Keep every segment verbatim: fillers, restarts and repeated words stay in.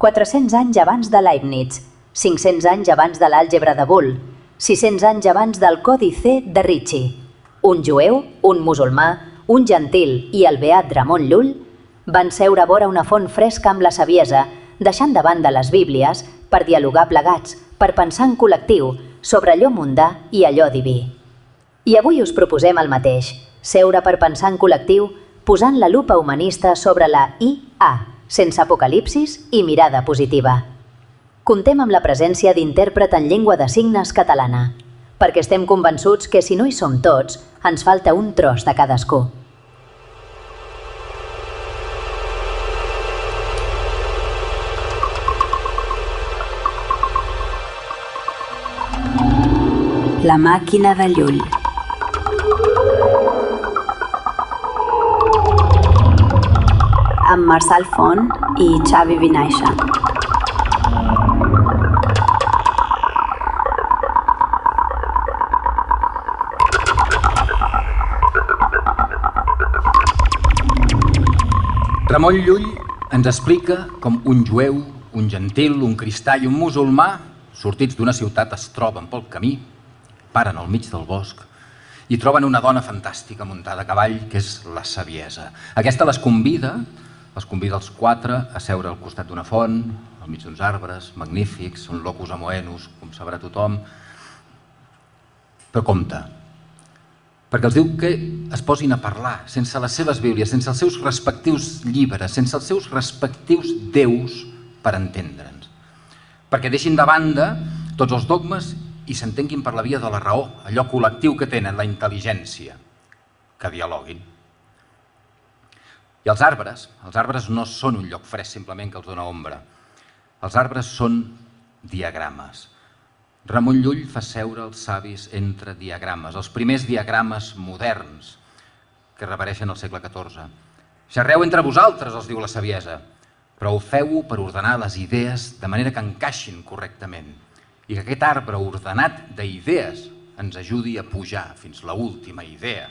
quatre-cents anys abans de Leibniz, cinc-cents anys abans de l'àlgebra de Boole, sis-cents anys abans del codi C de Ricci. Un jueu, un musulmà, un gentil i el beat Ramon Llull van seure vora una font fresca amb la saviesa, deixant de banda les bíblies per dialogar plegats, per pensar en col·lectiu sobre allò mundà i allò diví. I avui us proposem el mateix, seure per pensar en col·lectiu posant la lupa humanista sobre la I A, sense apocalipsis i mirada positiva. Contem amb la presència d'intèrpret en llengua de signes catalana, perquè estem convençuts que si no hi som tots, ens falta un tros de cadascú. La màquina de Llull. Amb Marçal Font i Xavi Vinaixa. Ramon Llull ens explica com un jueu, un gentil, un cristià i un musulmà, sortits d'una ciutat, es troben pel camí, paren al mig del bosc i troben una dona fantàstica muntada a cavall, que és la saviesa. Aquesta les convida, els convida els quatre a seure al costat d'una font, al mig d'uns arbres, magnífics, són locus amoenus, com sabrà tothom. Però compte, perquè els diu que es posin a parlar, sense les seves bíblies, sense els seus respectius llibres, sense els seus respectius déus, per entendre'ns. Perquè deixin de banda tots els dogmes i s'entenguin per la via de la raó, allò col·lectiu que tenen, la intel·ligència, que dialoguin. I els arbres, els arbres no són un lloc fresc simplement que els dona ombra. Els arbres són diagrames. Ramon Llull fa seure els savis entre diagrames, els primers diagrames moderns que reapareixen al segle catorze. Xerreu entre vosaltres, els diu la saviesa, però ho feu per ordenar les idees de manera que encaixin correctament i que aquest arbre ordenat d'idees ens ajudi a pujar fins a l'última idea.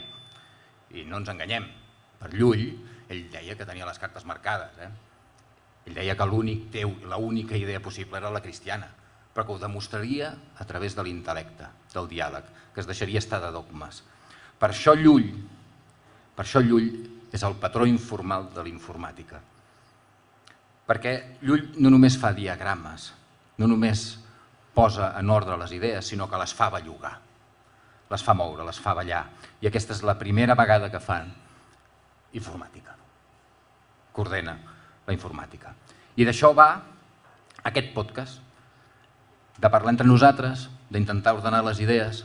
I no ens enganyem, per Llull, ell deia que tenia les cartes marcades. Eh? Ell deia que l'única idea possible era la cristiana, però que ho demostraria a través de l'intel·lecte, del diàleg, que es deixaria estar de dogmes. Per això Llull, per això Llull és el patró informal de l'informàtica. Perquè Llull no només fa diagrames, no només posa en ordre les idees, sinó que les fa bellugar, les fa moure, les fa ballar. I aquesta és la primera vegada que fan informàtica, que ordena la informàtica. I d'això va aquest podcast, de parlar entre nosaltres, d'intentar ordenar les idees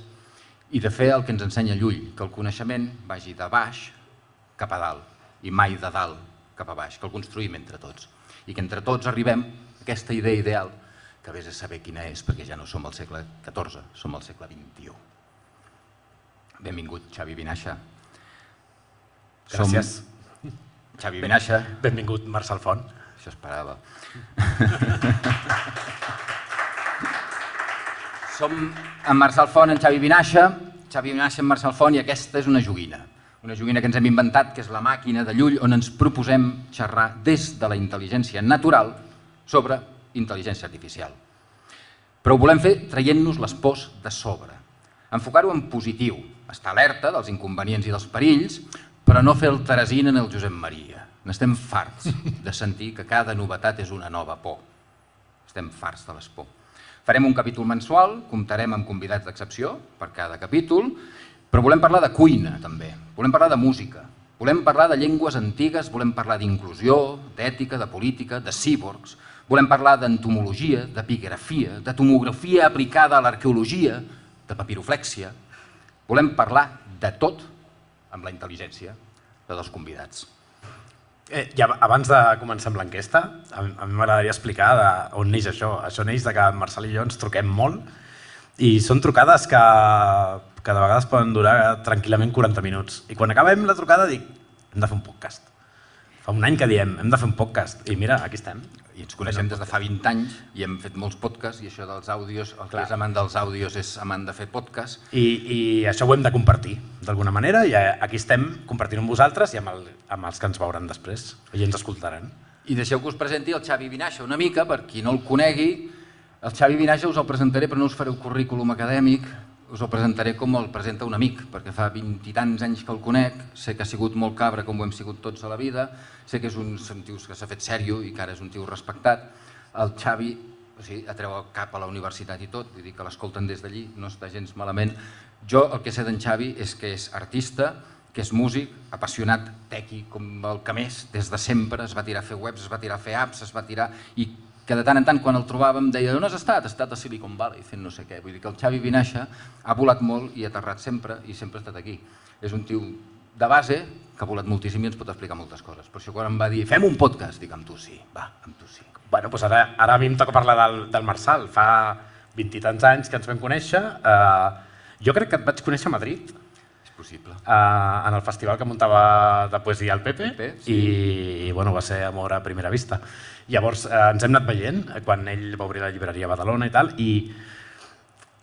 i de fer el que ens ensenya Llull, que el coneixement vagi de baix cap a dalt i mai de dalt cap a baix, que el construïm entre tots i que entre tots arribem a aquesta idea ideal que vés a saber quina és, perquè ja no som al segle catorze, som al segle vint-i-u. Benvingut, Xavi Vinaixa. Gràcies. Xavi Vinaixa. Benvingut, Marçal Font. Això esperava. Som en Marçal Font, en Xavi Vinaixa, Xavi Vinaixa, en Marçal Font, i aquesta és una joguina. Una joguina que ens hem inventat, que és la màquina de Llull, on ens proposem xerrar des de la intel·ligència natural sobre intel·ligència artificial. Però ho volem fer traient-nos les pors de sobre, enfocar-ho en positiu, estar alerta dels inconvenients i dels perills, però no fer el Teresina en el Josep Maria. N'estem farts de sentir que cada novetat és una nova por. Estem farts de les por. Farem un capítol mensual, comptarem amb convidats d'excepció per cada capítol, però volem parlar de cuina també, volem parlar de música, volem parlar de llengües antigues, volem parlar d'inclusió, d'ètica, de política, de cíborgs, volem parlar d'entomologia, d'epigrafia, de tomografia aplicada a l'arqueologia, de papiroflèxia. Volem parlar de tot amb la intel·ligència de dos convidats. Eh, ja, abans de començar amb l'enquesta, a mi m'agradaria explicar de on neix això. Això neix de que en Marçal i jo ens truquem molt i són trucades que, que de vegades poden durar tranquil·lament quaranta minuts. I quan acabem la trucada dic, hem de fer un podcast. Fa un any que diem, hem de fer un podcast, i mira, aquí estem. I ens coneixem des de fa vint anys i hem fet molts podcasts i això dels àudios, el que és amant dels àudios és amant de fer podcasts. I, i això ho hem de compartir d'alguna manera i aquí estem compartint amb vosaltres i amb, el, amb els que ens veuran després i ens escoltaran. I deixeu que us presenti el Xavi Vinaixa una mica, per qui no el conegui. El Xavi Vinaixa us el presentaré, però no us faré un currículum acadèmic, us el presentaré com el presenta un amic, perquè fa vint i tants anys que el conec, sé que ha sigut molt cabra com ho hem sigut tots a la vida, sé que és un tio que s'ha fet sèrio i que ara és un tio respectat. El Xavi o sigui, atreu el cap a la universitat i tot, vull dir que l'escolten des d'allí, no està gens malament. Jo el que sé d'en Xavi és que és artista, que és músic, apassionat tequi com el que més, des de sempre, es va tirar a fer webs, es va tirar a fer apps, es va tirar... i que de tant en tant quan el trobàvem deia on has estat? Has estat a Silicon Valley fent no sé què. Vull dir que el Xavi Vinaixa ha volat molt i ha aterrat sempre i sempre ha estat aquí. És un tio de base que ha volat moltíssim i ens pot explicar moltes coses. Per això quan em va dir fem un podcast, dic amb tu sí, va, amb tu sí. Bueno, doncs ara, ara a mi em toca parlar del, del Marçal. Fa vint i tants anys que ens vam conèixer. Eh, jo crec que et vaig conèixer a Madrid. Possible. Uh, en el festival que muntava de poesia al Pepe, Pepe sí. i bueno, va ser amor a primera vista. Llavors uh, ens hem anat veient quan ell va obrir la llibreria a Badalona i tal, i,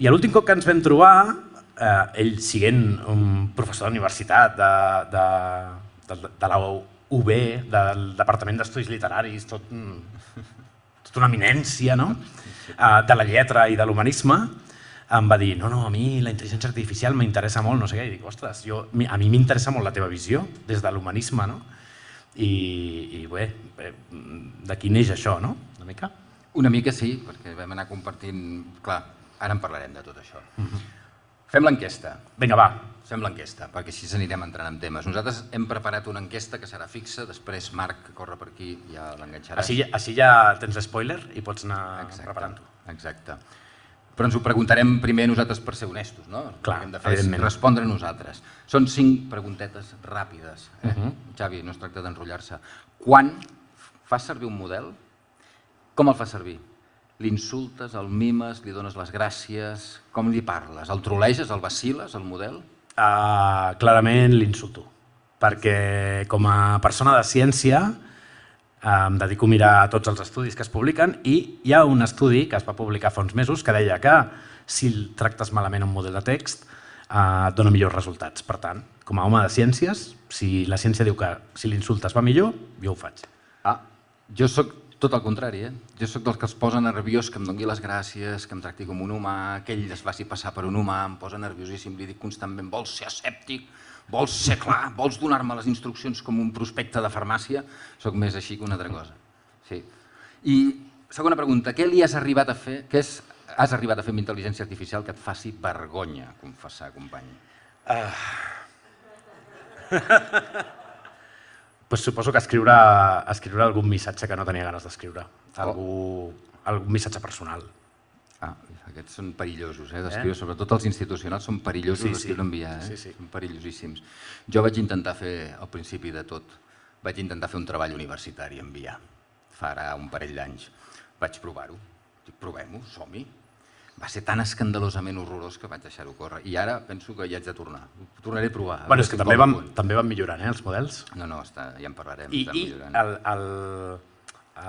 i a l'últim cop que ens vam trobar, uh, ell siguent un professor d'universitat de, de, de, de la U B, del Departament d'Estudis Literaris, tot, tot una eminència, no? Uh, de la lletra i de l'humanisme, em va dir, no, no, a mi la intel·ligència artificial m'interessa molt, no sé què, i dic, ostres, jo, a mi m'interessa molt la teva visió, des de l'humanisme, no? I, i bé, d'aquí neix això, no? Una mica? Una mica sí, perquè vam anar compartint... Clar, ara en parlarem de tot això. Uh-huh. Fem l'enquesta. Vinga, va. Fem l'enquesta, perquè així anirem entrant en temes. Nosaltres hem preparat una enquesta que serà fixa, després Marc, que corre per aquí, ja l'enganxaràs. Així, així ja tens spoiler i pots anar preparant-ho. Exacte. Però ens ho preguntarem primer nosaltres per ser honestos, no? Clar, el que hem de fer és respondre nosaltres. Són cinc preguntetes ràpides. Eh? Uh-huh. Xavi, no es tracta d'enrotllar-se. Quan fas servir un model, com el fas servir? L'insultes, el mimes, li dones les gràcies, com li parles? El troleges, el vaciles, el model? Uh, clarament l'insulto, perquè com a persona de ciència em dedico a mirar tots els estudis que es publiquen i hi ha un estudi que es va publicar fa uns mesos que deia que si tractes malament un model de text eh, et dona millors resultats. Per tant, com a home de ciències, si la ciència diu que si l'insultes va millor, jo ho faig. Ah, jo sóc tot el contrari, eh? Jo sóc dels que es posa nerviós, que em doni les gràcies, que em tracti com un humà, que ell es faci passar per un humà, em posa nerviosíssim, li dic constantment, vols ser escèptic? Vols ser clar? Vols donar-me les instruccions com un prospecte de farmàcia? Soc més així que una altra cosa. Sí. I segona pregunta, què li has arribat a fer, què és, has arribat a fer amb intel·ligència artificial que et faci vergonya confessar, company? Uh... pues suposo que escriure, escriure algun missatge que no tenia ganes d'escriure. Algú, algun missatge personal. Ah, aquests són perillosos, eh, d'escriure, eh? Sobretot els institucionals són perillosos sí, d'escriure sí. enviar, eh? Sí, sí. Són perillosíssims. Jo vaig intentar fer, al principi de tot, vaig intentar fer un treball universitari, enviar, fa ara un parell d'anys. Vaig provar-ho, dic, provem-ho, som-hi. Va ser tan escandalosament horrorós que vaig deixar-ho córrer. I ara penso que hi haig de tornar. Ho tornaré a provar. Bueno, és que també van, també van millorant, eh, els models. No, no, està, ja en parlarem. I, i el, el,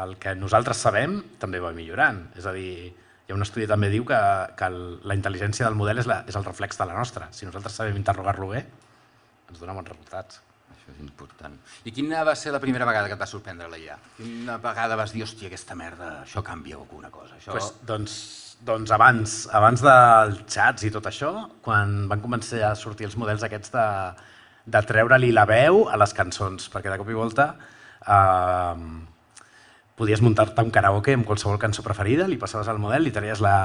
el que nosaltres sabem també va millorant. És a dir, hi ha un estudi que també diu que, que el, la intel·ligència del model és, la, és el reflex de la nostra. Si nosaltres sabem interrogar-lo bé, ens dona bons resultats. Això és important. I quina va ser la primera vegada que et va sorprendre la I A? Quina vegada vas dir, hòstia, aquesta merda, això canvia alguna cosa? Això... Pues, doncs, doncs abans, abans dels xats i tot això, quan van començar a sortir els models aquests de, de treure-li la veu a les cançons, perquè de cop i volta eh, podies muntar-te un karaoke amb qualsevol cançó preferida, li passaves al model, li treies la,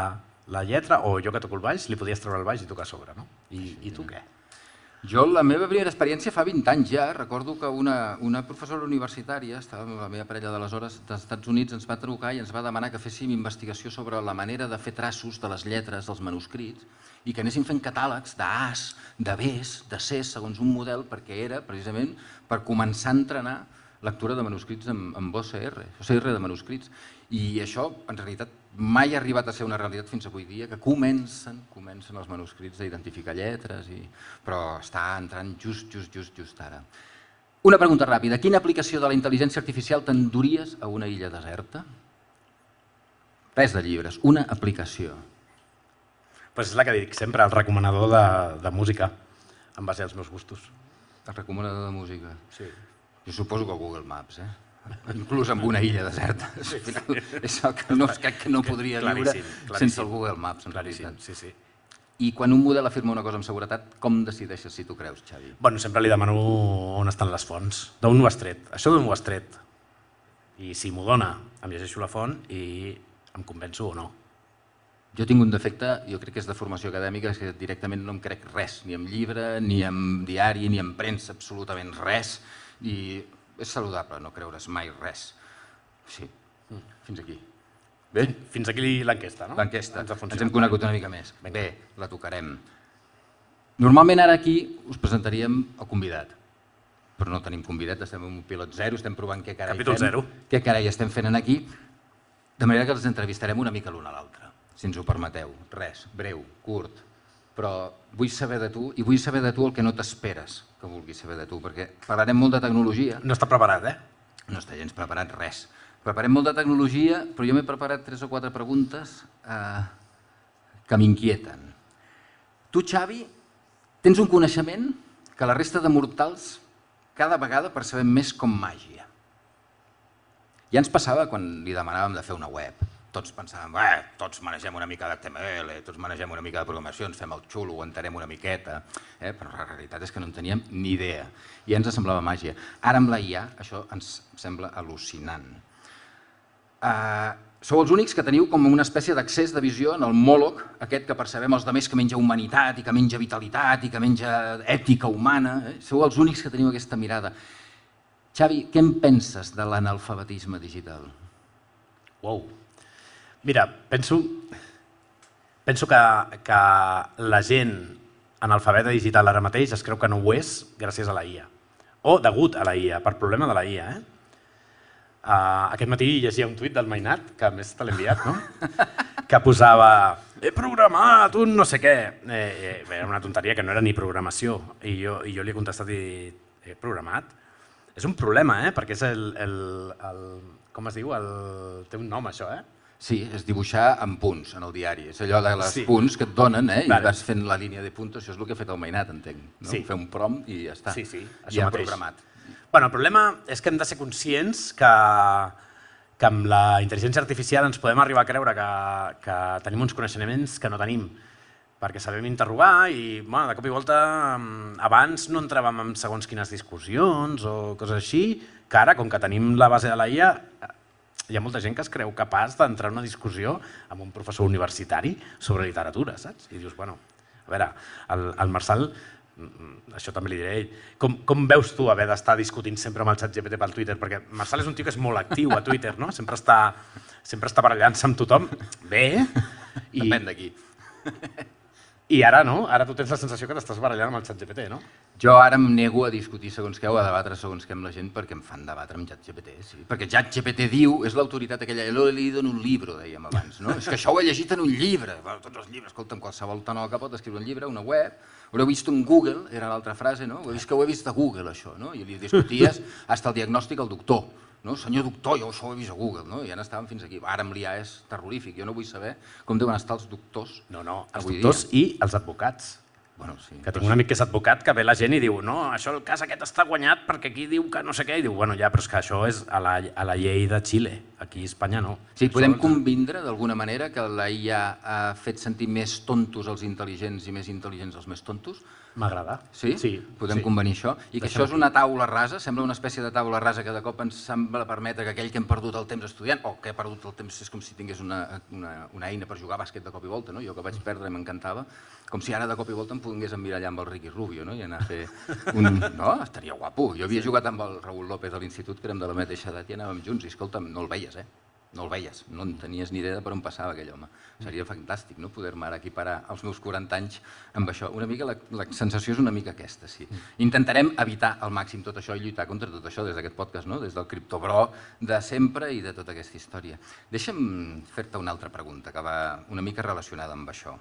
la lletra, o jo que toco el baix, li podies treure el baix i tocar a sobre, no? I, i tu què? Jo, la meva primera experiència fa vint anys ja, recordo que una, una professora universitària, estava amb la meva parella d'aleshores, dels Estats Units, ens va trucar i ens va demanar que féssim investigació sobre la manera de fer traços de les lletres dels manuscrits i que anéssim fent catàlegs d'As, de Bs, de Cs, segons un model, perquè era precisament per començar a entrenar lectura de manuscrits amb, amb O C R, O C R de manuscrits. I això, en realitat, mai ha arribat a ser una realitat fins avui dia, que comencen, comencen els manuscrits a identificar lletres, i... però està entrant just, just, just, just ara. Una pregunta ràpida. Quina aplicació de la intel·ligència artificial t'enduries a una illa deserta? Res de llibres, una aplicació. Pues és la que dic sempre, el recomanador de, de música, en base als meus gustos. El recomanador de música? Sí. Jo suposo que Google Maps, eh? inclús amb una illa deserta. És el que no, crec que no podria viure sense el Google Maps, en realitat. Sí, sí. I quan un model afirma una cosa amb seguretat, com decideixes si tu creus, Xavi? Bueno, sempre li demano on estan les fonts. D'on ho has tret? Això d'on ho has tret? I si m'ho dona, em llegeixo la font i em convenço o no. Jo tinc un defecte, jo crec que és de formació acadèmica, és que directament no em crec res, ni en llibre, ni en diari, ni en premsa, absolutament res. I és saludable no creure's mai res. Sí, fins aquí. Bé? Fins aquí l'enquesta, no? L'enquesta. Ens hem conegut una mica més. Bé, la tocarem. Normalment ara aquí us presentaríem el convidat, però no tenim convidat, estem en un pilot zero, estem provant què carai Capítol zero. Què carai estem fent aquí, de manera que els entrevistarem una mica l'un a l'altre, si ens ho permeteu. Res, breu, curt, però vull saber de tu i vull saber de tu el que no t'esperes que vulguis saber de tu, perquè parlarem molt de tecnologia. No està preparat, eh? No està gens preparat res. Preparem molt de tecnologia, però jo m'he preparat tres o quatre preguntes eh, que m'inquieten. Tu, Xavi, tens un coneixement que la resta de mortals cada vegada percebem més com màgia. Ja ens passava quan li demanàvem de fer una web. Tots pensàvem, eh, tots manegem una mica d'H T M L, tots manegem una mica de programació, ens fem el xulo, ho entenem una miqueta, eh? Però la realitat és que no en teníem ni idea. I ja ens semblava màgia. Ara amb la I A això ens sembla al·lucinant. Uh, sou els únics que teniu com una espècie d'accés de visió en el Mòloc, aquest que percebem els altres que menja humanitat i que menja vitalitat i que menja ètica humana. Eh? Sou els únics que teniu aquesta mirada. Xavi, què en penses de l'analfabetisme digital? Uau. Mira, penso, penso que, que la gent analfabeta digital ara mateix es creu que no ho és gràcies a la I A. O degut a la I A, per problema de la I A. Eh? Uh, aquest matí llegia un tuit del Mainat, que a més te l'he enviat, no? Que posava he programat un no sé què. Eh, eh, era una tonteria que no era ni programació. I jo, i jo li he contestat i he programat. És un problema, eh? Perquè és el, el, el... Com es diu? El, té un nom, això, eh? Sí, és dibuixar amb punts en el diari. És allò de les sí. punts que et donen, eh? Vale. I vas fent la línia de punts. Això és el que ha fet el Mainat, entenc. No? Sí. Fer un prompt i ja està. Sí, sí, això ja mateix. Programat. Bueno, el problema és que hem de ser conscients que, que amb la intel·ligència artificial ens podem arribar a creure que, que tenim uns coneixements que no tenim, perquè sabem interrogar i bueno, de cop i volta abans no entràvem en segons quines discussions o coses així, que ara, com que tenim la base de la I A, hi ha molta gent que es creu capaç d'entrar en una discussió amb un professor universitari sobre literatura, saps? I dius, bueno, a veure, el, el Marçal, això també li diré a ell, com, com veus tu haver d'estar discutint sempre amb el ChatGPT pel Twitter? Perquè Marçal és un tio que és molt actiu a Twitter, no? Sempre està, sempre està barallant-se amb tothom. Bé. I... Depèn d'aquí. I ara no? Ara tu tens la sensació que t'estàs barallant amb el ChatGPT, no? Jo ara em nego a discutir segons què o a debatre segons què amb la gent perquè em fan debatre amb ChatGPT, sí. Perquè ChatGPT diu, és l'autoritat aquella, lo he leído en un libro, dèiem abans, no? És que això ho he llegit en un llibre. Bueno, tots els llibres, escolta'm, qualsevol tonol que pot escriure un llibre, una web, ho heu vist en Google, era l'altra frase, no? Ho he vist que ho he vist a Google, això, no? I li discuties fins al diagnòstic al doctor. No? Senyor doctor, jo això ho he vist a Google, no? I ja n'estàvem fins aquí. Ara amb l'I A és terrorífic, jo no vull saber com deuen estar els doctors. No, no, els doctors i els advocats. Bueno, sí. Que tinc un amic que és advocat que ve la gent i diu no, això el cas aquest està guanyat perquè aquí diu que no sé què, i diu, bueno, ja, però és que això és a la, a la llei de Xile, aquí a Espanya no. Sí, podem convindre d'alguna manera que la I A ha fet sentir més tontos els intel·ligents i més intel·ligents els més tontos? M'agrada. Sí? Sí. Podem sí. convenir això? I que Deixem això és una taula rasa, sembla una espècie de taula rasa que de cop ens sembla permetre que aquell que hem perdut el temps estudiant, o que ha perdut el temps és com si tingués una, una, una eina per jugar a bàsquet de cop i volta, no? Jo que vaig perdre i m'encantava, com si ara de cop i volta em pogués emmirallar amb el Ricky Rubio, no? I anar a fer un... No, estaria guapo. Jo havia jugat amb el Raúl López a l'institut, que érem de la mateixa edat i anàvem junts, i escolta'm, no el veies, eh? No el veies, no en tenies ni idea de per on passava aquell home. Seria fantàstic, no?, poder-me ara equiparar els meus quaranta anys amb això. Una mica, la, la sensació és una mica aquesta, sí. Intentarem evitar al màxim tot això i lluitar contra tot això des d'aquest podcast, no?, des del criptobro de sempre i de tota aquesta història. Deixa'm fer-te una altra pregunta que va una mica relacionada amb això.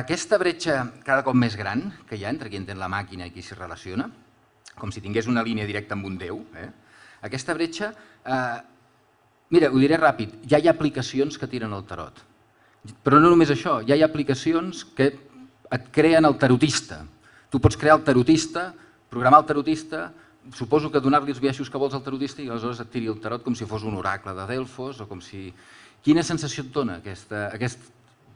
Aquesta bretxa cada cop més gran que hi ha entre qui entén la màquina i qui s'hi relaciona, com si tingués una línia directa amb un déu, eh? Aquesta bretxa... Eh, Mira, ho diré ràpid, ja hi ha aplicacions que tiren el tarot. Però no només això, ja hi ha aplicacions que et creen el tarotista. Tu pots crear el tarotista, programar el tarotista, suposo que donar-li els biaixos que vols al tarotista i aleshores et tiri el tarot com si fos un oracle de Delfos o com si... Quina sensació et dona aquesta, aquest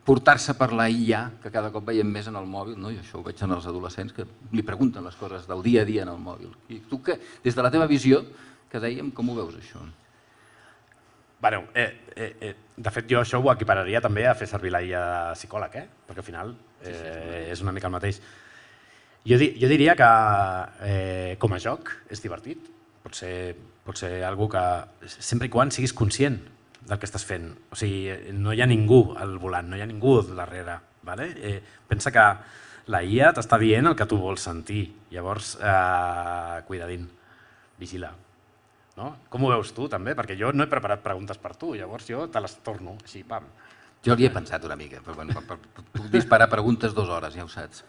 portar-se per la I A, que cada cop veiem més en el mòbil, no? I això ho veig en els adolescents que li pregunten les coses del dia a dia en el mòbil. I tu, que, des de la teva visió, que dèiem, com ho veus, això? Bueno, eh, eh, eh, de fet, jo això ho equipararia també a fer servir la I A psicòleg, eh? Perquè al final eh, sí, sí, és una mica el mateix. Jo, di jo diria que eh, com a joc és divertit, pot ser, pot ser algo que sempre i quan siguis conscient del que estàs fent. O sigui, no hi ha ningú al volant, no hi ha ningú darrere. Vale? Eh, pensa que la I A t'està dient el que tu vols sentir. Llavors, eh, cuidadín, vigila. No? Com ho veus tu, també? Perquè jo no he preparat preguntes per tu, llavors jo te les torno, així, pam. Jo li he pensat una mica, però bueno, puc disparar preguntes dues hores, ja ho saps.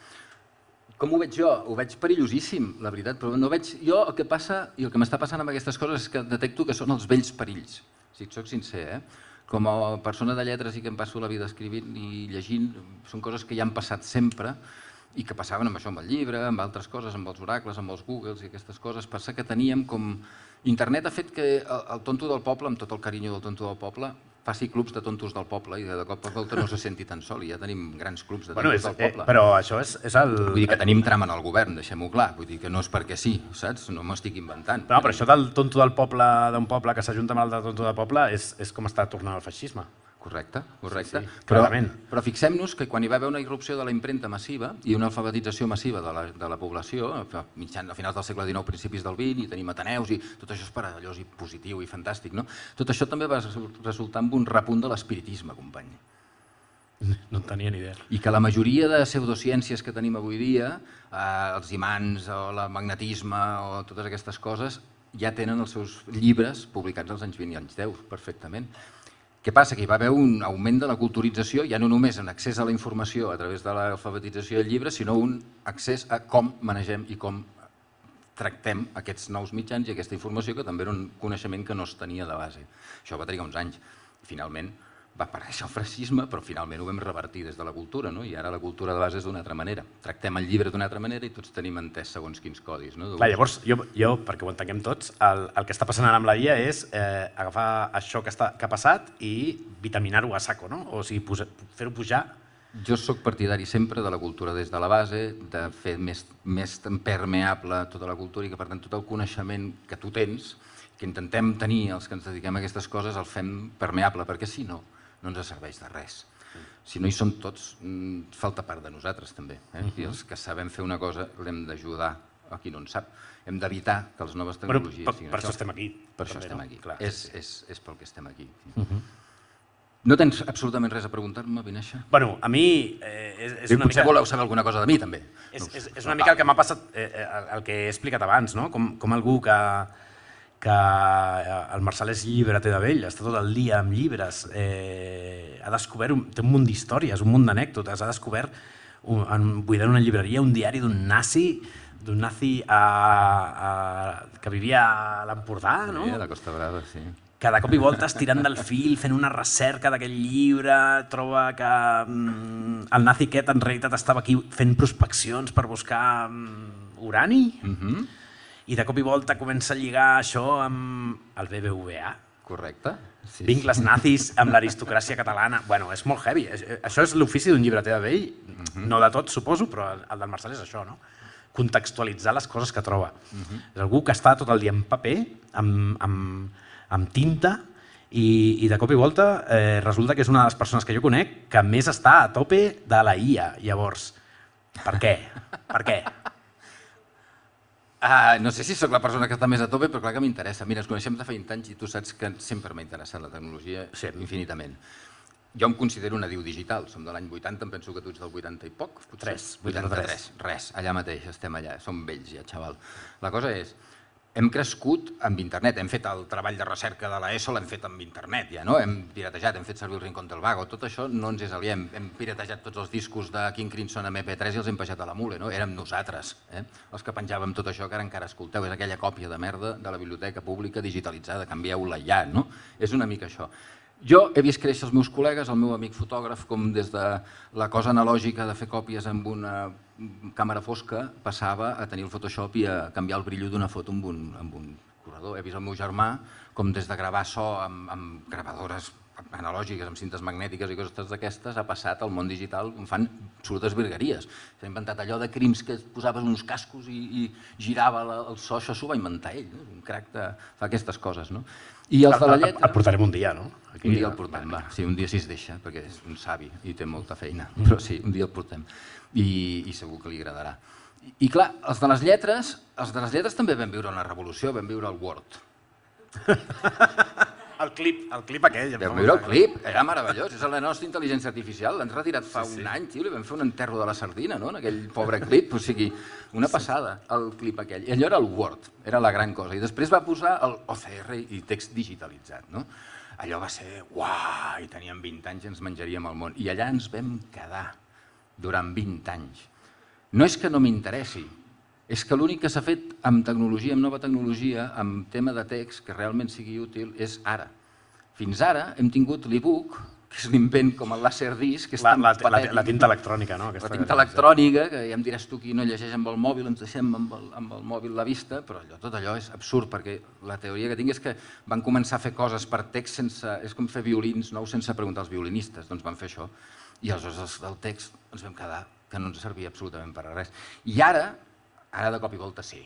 Com ho veig jo? Ho veig perillosíssim, la veritat, però no veig... Jo el que passa, i el que m'està passant amb aquestes coses és que detecto que són els vells perills. Si et soc sincer, eh? Com a persona de lletres i que em passo la vida escrivint i llegint, són coses que ja han passat sempre i que passaven amb això, amb el llibre, amb altres coses, amb els oracles, amb els Googles i aquestes coses. Passa que teníem com... Internet ha fet que el tonto del poble, amb tot el carinyo del tonto del poble, faci clubs de tontos del poble i de cop a volta no se senti tan sol i ja tenim grans clubs de tontos bueno, és, del poble. Eh, però això és, és el... Vull dir que tenim trama en el govern, deixem-ho clar, vull dir que no és perquè sí, saps? No m'estic inventant. No, però això del tonto del poble, d'un poble que s'ajunta amb el de tonto del poble és, és com està tornant al feixisme. Correcte, correcte. Sí, sí, però clarament. però fixem-nos que quan hi va haver una irrupció de la impremta massiva i una alfabetització massiva de la, de la població, a, mitjan, a finals del segle dinou, principis del vint, i tenim ateneus i tot això és meravellós i positiu i fantàstic, no? Tot això també va resultar amb un repunt de l'espiritisme, company. No en tenia ni idea. I que la majoria de pseudociències que tenim avui dia, eh, els imants o el magnetisme o totes aquestes coses, ja tenen els seus llibres publicats als anys vint i anys deu, perfectament. Què passa? Que hi va haver un augment de la culturització, ja no només en accés a la informació a través de l'alfabetització del llibre, sinó un accés a com manegem i com tractem aquests nous mitjans i aquesta informació, que també era un coneixement que no es tenia de base. Això va trigar uns anys. I finalment va aparèixer el feixisme, però finalment ho vam revertir des de la cultura, no? I ara la cultura de base és d'una altra manera. Tractem el llibre d'una altra manera i tots tenim entès segons quins codis. No? Clar, llavors, jo, jo, perquè ho entenguem tots, el, el que està passant ara amb la I A és eh, agafar això que, està, que ha passat i vitaminar-ho a saco, no? O sigui, fer-ho pujar. Jo sóc partidari sempre de la cultura des de la base, de fer més, més permeable tota la cultura i que, per tant, tot el coneixement que tu tens, que intentem tenir els que ens dediquem a aquestes coses, el fem permeable, perquè si no, no ens serveix de res. Si no hi som tots, falta part de nosaltres també. Eh? I els que sabem fer una cosa l'hem d'ajudar a qui no en sap. Hem d'evitar que les noves tecnologies Però, per, siguin per això. això estem aquí. Per això també, estem no? aquí. Clar, és, sí, sí. és, és pel que estem aquí. Uh-huh. No tens absolutament res a preguntar-me, Vinaixa? Bueno, a mi eh, és, és I una potser mica... voleu saber alguna cosa de mi, també. És, No és, sé. és una mica el que m'ha passat, eh, el, el que he explicat abans, no? Com, com algú que, que el Marçal és llibreter de vell, està tot el dia amb llibres, eh, ha descobert, un, té un munt d'històries, un munt d'anècdotes, ha descobert, un, en, buidant una llibreria, un diari d'un nazi, d'un nazi a, a, que vivia a l'Empordà, no? Sí, a la Costa Brava, sí. Que de cop i volta estirant del fil, fent una recerca d'aquell llibre, troba que mm, el nazi aquest en realitat estava aquí fent prospeccions per buscar mm, urani, Uh-huh. i de cop i volta comença a lligar això amb el B B V A. Correcte. Sí, Vincles nazis amb l'aristocràcia catalana. Bueno, és molt heavy. Això és l'ofici d'un llibreter de vell, uh-huh. No de tot, suposo, però el del Marçal és això, no? Contextualitzar les coses que troba. Uh-huh. És algú que està tot el dia en paper, amb, amb, amb tinta, i, i de cop i volta eh, resulta que és una de les persones que jo conec que més està a tope de la I A. Llavors, per què? Per què? Ah, no sé si sóc la persona que està més a tope, però clar que m'interessa. Mira, ens coneixem de fa vint anys i tu saps que sempre m'ha interessat la tecnologia Sí. infinitament. Jo em considero una diu digital, som de l'any vuitanta, em penso que tu ets del vuitanta i poc. Potser. Tres, vuitanta-tres. Res, allà mateix, estem allà, som vells ja, xaval. La cosa és, hem crescut amb internet, hem fet el treball de recerca de l'ESO, l'hem fet amb internet ja, no? Hem piratejat, hem fet servir el Rincón del Vago, tot això no ens és aliè, hem, hem piratejat tots els discos de King Crimson a eme pe tres i els hem pejat a la mule, no? Érem nosaltres, eh? Els que penjàvem tot això que ara encara escolteu, és aquella còpia de merda de la biblioteca pública digitalitzada, canvieu-la ja, no? És una mica això. Jo he vist créixer els meus col·legues, el meu amic fotògraf, com des de la cosa analògica de fer còpies amb una càmera fosca passava a tenir el Photoshop i a canviar el brillo d'una foto amb un, amb un corredor. He vist el meu germà com des de gravar so amb, amb gravadores analògiques, amb cintes magnètiques i coses d'aquestes, ha passat al món digital on fan absolutes virgueries. S'ha inventat allò de crims que posaves uns cascos i, i girava la, el so, això s'ho va inventar ell, no? Un crac de, fa aquestes coses. No? I els de la lletra... El portarem un dia, no? Aquí, un dia el portem, va. Sí, un dia si es deixa, perquè és un savi i té molta feina, però sí, un dia el portem i, i segur que li agradarà. I, I clar, els de les lletres, els de les lletres també vam viure una revolució, vam viure el Word. El clip, el clip aquell. Vam viure el clip, era meravellós, és la nostra intel·ligència artificial, l'han retirat fa sí, sí. un any, tio, li vam fer un enterro de la sardina, no?, en aquell pobre clip, o sigui, una passada, el clip aquell. I allò era el Word, era la gran cosa, i després va posar el O C R i text digitalitzat, no? Allò va ser, uah, i teníem vint anys i ens menjaríem el món, i allà ens vam quedar durant vint anys. No és que no m'interessi, és que l'únic que s'ha fet amb tecnologia, amb nova tecnologia, amb tema de text que realment sigui útil, és ara. Fins ara hem tingut l'e-book, que és l'invent com el Laserdisc, que és tan patètic. La, la, la tinta electrònica, no? La tinta electrònica, que ja em diràs tu qui no llegeix amb el mòbil, ens deixem amb el, amb el mòbil la vista, però allò, tot allò és absurd, perquè la teoria que tinc és que van començar a fer coses per text sense... És com fer violins nous sense preguntar als violinistes, doncs van fer això. I aleshores del text ens vam quedar que no ens servia absolutament per a res. I ara, ara de cop i volta sí,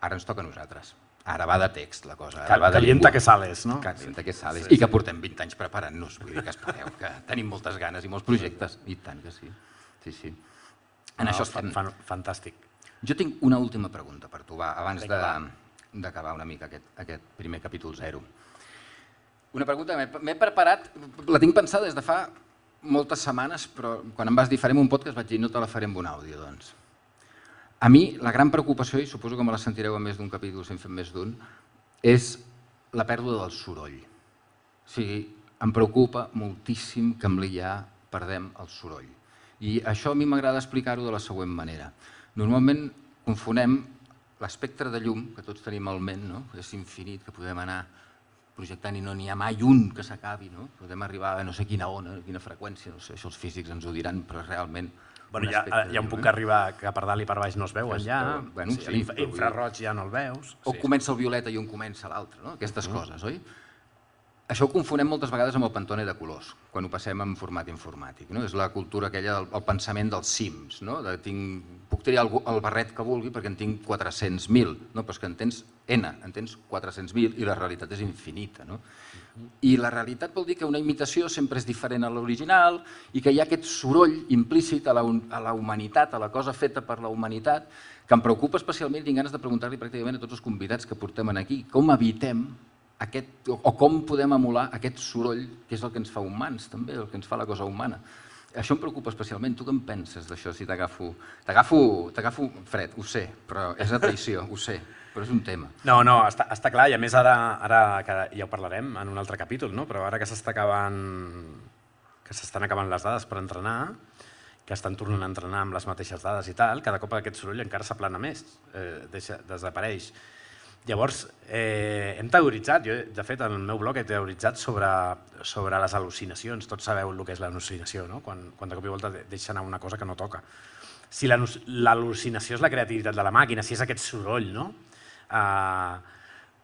ara ens toca a nosaltres. Ara va de text la cosa. Calienta que sales, no? Calienta que sales. I que portem vint anys preparant-nos, vull dir que espereu, que tenim moltes ganes i molts projectes, i tant que sí. Sí, sí. En això estem. Fantàstic. Jo tinc una última pregunta per tu, va, abans d'acabar una mica aquest primer capítol zero. Una pregunta que m'he preparat, la tinc pensada des de fa moltes setmanes, però quan em vas dir farem un podcast vaig dir no te la faré amb un àudio, doncs. A mi, la gran preocupació, i suposo que me la sentireu en més d'un capítol si en fem més d'un, és la pèrdua del soroll. O sigui, em preocupa moltíssim que amb l'I A perdem el soroll. I això a mi m'agrada explicar-ho de la següent manera. Normalment confonem l'espectre de llum, que tots tenim al ment, no? És infinit, que podem anar projectant i no n'hi ha mai un que s'acabi, no? Podem arribar a no sé quina ona, quina freqüència, no sé, això els físics ens ho diran, però realment... Bueno, ja, ja un puc arribar que per dalt i per baix no es veuen ja, bueno, sí, sí, infraroig ja no el veus. O sí. Comença el violeta i un comença l'altre, no? Aquestes uh -huh. coses, oi? Això ho confonem moltes vegades amb el Pantone de colors, quan ho passem en format informàtic, no? És la cultura aquella, el, el pensament dels Sims, no? De tinc, puc triar el, el barret que vulgui perquè en tinc quatre-cents mil, no? Però és que en tens N, en tens quatre-cents mil i la realitat és infinita, no? I la realitat vol dir que una imitació sempre és diferent a l'original i que hi ha aquest soroll implícit a la, a la humanitat, a la cosa feta per la humanitat, que em preocupa especialment, tinc ganes de preguntar-li pràcticament a tots els convidats que portem aquí, com evitem aquest, o com podem emular aquest soroll que és el que ens fa humans també, el que ens fa la cosa humana. Això em preocupa especialment. Tu què en penses d'això si t'agafo... T'agafo fred, ho sé, però és a traïció, ho sé. Però és un tema. No, no, està, està clar, i a més ara, ara que ja ho parlarem en un altre capítol, no? Però ara que s'està acabant, que s'estan acabant les dades per entrenar, que estan tornant a entrenar amb les mateixes dades i tal, cada cop aquest soroll encara s'aplana més, eh, deixa, desapareix. Llavors, eh, hem teoritzat, jo de fet en el meu blog he teoritzat sobre, sobre les al·lucinacions, tots sabeu el que és l'al·lucinació, no? Quan, quan de cop i volta deixa anar una cosa que no toca. Si l'al·lucinació és la creativitat de la màquina, si és aquest soroll, no? Uh,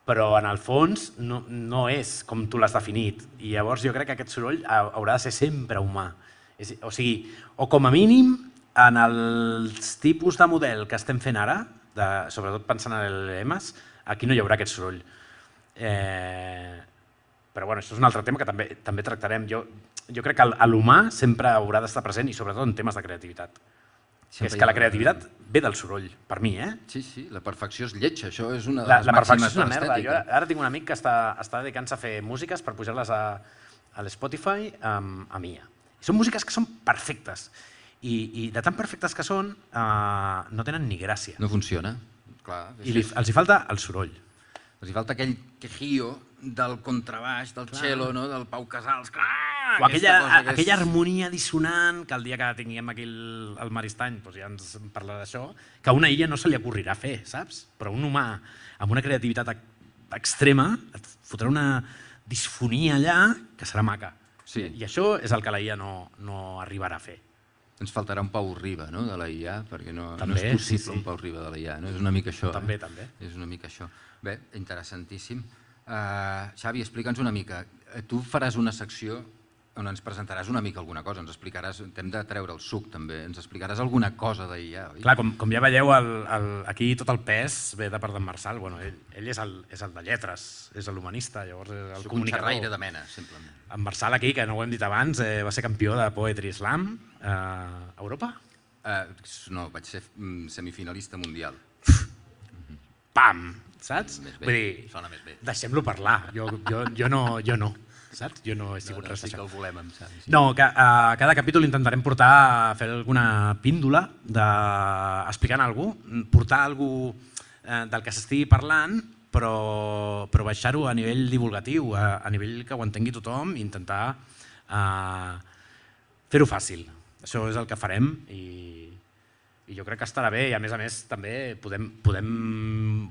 però en el fons no, no és com tu l'has definit i llavors jo crec que aquest soroll haurà de ser sempre humà. És, o sigui, o com a mínim en els tipus de model que estem fent ara, de, sobretot pensant en L L Ms, aquí no hi haurà aquest soroll. Eh, però bueno, això és un altre tema que també, també tractarem. Jo, jo crec que l'humà sempre haurà d'estar present i sobretot en temes de creativitat. Que és que la creativitat ve del soroll, per mi, eh? Sí, sí, la perfecció és lletja, això és una de la, les la màximes és una de merda. Jo l'estètica. ara tinc un amic que està, està dedicant-se a fer músiques per pujar-les a, a l'Spotify amb, amb I A. I són músiques que són perfectes i, i de tan perfectes que són uh, no tenen ni gràcia. No funciona, clar. I li, els hi falta el soroll. Els hi falta aquell quejío del contrabaix, del cello, no? Del Pau Casals. Ah, o aquella, és... aquella harmonia dissonant que el dia que tinguem aquí el, el Maristany doncs ja ens parla d'això, que a una illa no se li acorrirà fer, saps? Però un humà amb una creativitat extrema et fotrà una disfonia allà que serà maca. Sí. I això és el que la I A no, no arribarà a fer. Ens faltarà un Pau Riba, no?, de la I A, perquè no, també, no és possible sí, sí. un Pau Riba de la I A, no? És una mica això. També, eh? també. És una mica això. Bé, interessantíssim. Uh, Xavi, explica'ns una mica. Tu faràs una secció on ens presentaràs una mica alguna cosa, ens explicaràs, t'hem de treure el suc també, ens explicaràs alguna cosa d'I A, oi? Clar, com, com ja veieu, el, el, aquí tot el pes ve de part d'en Marçal. Bueno, ell, ell és, el, és el de lletres, és l'humanista, llavors és el Soc comunicador. un xerraire de mena, simplement. En Marçal aquí, que no ho hem dit abans, eh, va ser campió de Poetry Slam eh, a Europa. Uh, no, vaig ser mm, semifinalista mundial. Pam! Saps? Més bé, Vull dir, sona més bé. deixem-lo parlar. Jo, jo, jo, no, jo no, saps? Jo no he sigut No, no, res sí que d'això. el volem, em sap. Sí. No, que a cada capítol intentarem portar, fer alguna píndola de, explicant algú, portar algú eh, del que s'estigui parlant, però, però baixar-ho a nivell divulgatiu, a, a nivell que ho entengui tothom i intentar eh, fer-ho fàcil. Això és el que farem i, i jo crec que estarà bé i a més a més també podem, podem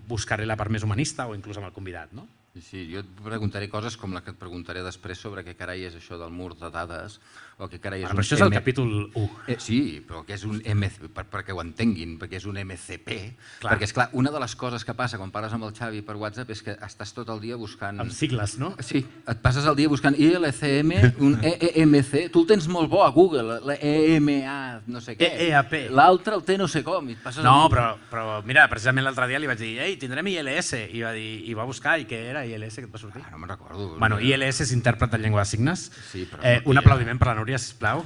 buscar-hi la part més humanista o inclús amb el convidat, no? Sí, jo et preguntaré coses com la que et preguntaré després sobre què carai és això del mur de dades o què carai és Bueno, un però això és el M- capítol u. Eh, sí, però que és un M C P, per, perquè ho entenguin, perquè és un M C P. Clar. Perquè, esclar, una de les coses que passa quan parles amb el Xavi per WhatsApp és que estàs tot el dia buscant... Amb sigles, no? Sí, et passes el dia buscant I L C M, un E E M C, tu el tens molt bo a Google, la E M A, no sé què. E E A P. L'altre el té no sé com. I et passes No, el dia- però, però mira, precisament l'altre dia li vaig dir ei, tindrem I L S, i va, dir, i va buscar, i què era I L S que et va sortir? Ah, no me'n recordo. Bueno, I L S és intèrpret de llengua de signes. Sí, però eh, no un té- aplaudiment per la Núria, sisplau.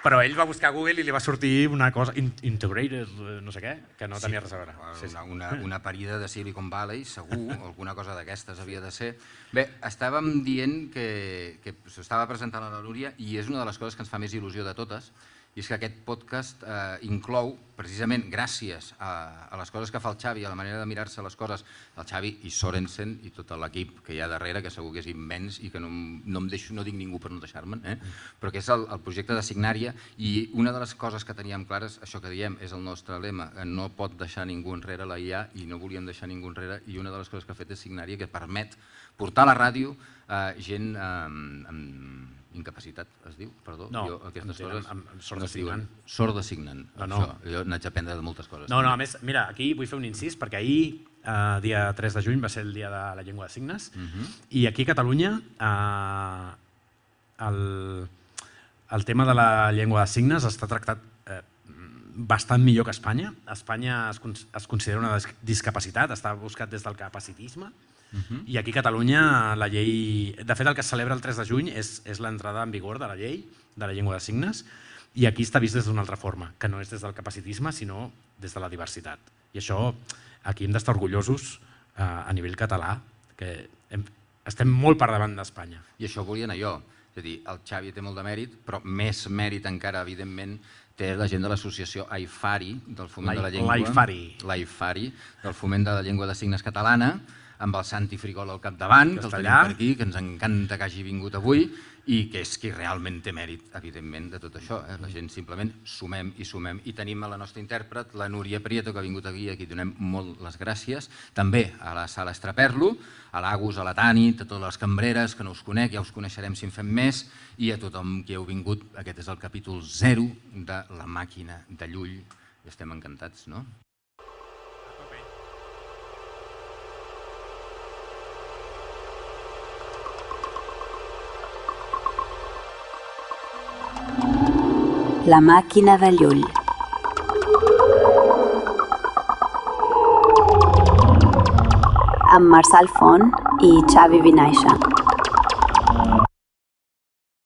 Però ell va buscar a Google i li va sortir una cosa, in, integrated, eh, no sé què, que no tenia res a veure. Sí, sí. Una, una, una parida de Silicon Valley, segur, alguna cosa d'aquestes havia de ser. Bé, estàvem dient que, que s'estava presentant a la Núria i és una de les coses que ens fa més il·lusió de totes, i és que aquest podcast eh, inclou, precisament gràcies a, a les coses que fa el Xavi, a la manera de mirar-se les coses, el Xavi i Sorensen i tot l'equip que hi ha darrere, que segur que és immens i que no, no em deixo, no dic ningú per no deixar-me'n, eh? Però que és el, el projecte de Signària, i una de les coses que teníem clares, això que diem, és el nostre lema, no pot deixar ningú enrere la I A i no volíem deixar ningú enrere, i una de les coses que ha fet és Signària, que permet portar a la ràdio eh, gent eh, amb incapacitat, es diu? Perdó. No, jo, aquestes amb- coses amb- amb no sordosignant. es diuen. Sordosignant. No, no. Això. Jo n'haig d'aprendre de moltes coses. No, no, a també. més, mira, aquí vull fer un incís, perquè ahir, eh, dia tres de juny, va ser el dia de la llengua de signes, Mhm. i aquí a Catalunya eh, el, el tema de la llengua de signes està tractat eh, bastant millor que a Espanya. A Espanya es, con- es considera una dis- discapacitat, està buscat des del capacitisme, Mhm. i aquí a Catalunya la llei... De fet, el que es celebra el tres de juny és, és l'entrada en vigor de la llei de la llengua de signes, i aquí està vist des d'una altra forma, que no és des del capacitisme, sinó des de la diversitat. I això, aquí hem d'estar orgullosos eh, a nivell català, que hem, estem molt per davant d'Espanya. I això volia anar jo. És a dir, el Xavi té molt de mèrit, però més mèrit encara, evidentment, té la gent de l'associació AIFARI, del Foment L'Ai- de la Llengua. l'AIFARI. L'AIFARI, del Foment de la Llengua de Signes Catalana, amb el Santi Frigol al capdavant, que el està tenim allà. per aquí, que ens encanta que hagi vingut avui, i que és qui realment té mèrit, evidentment, de tot això. Eh? La gent simplement sumem i sumem. I tenim a la nostra intèrpret, la Núria Prieto, que ha vingut aquí, a qui donem molt les gràcies. També a la Sala Estraperlo, a l'Agus, a la Tani, a totes les cambreres, que no us conec, ja us coneixerem si en fem més, i a tothom que heu vingut. Aquest és el capítol zero de La Màquina de Llull. I estem encantats, no? La màquina de Llull. Amb Marçal Font i Xavi Vinaixa.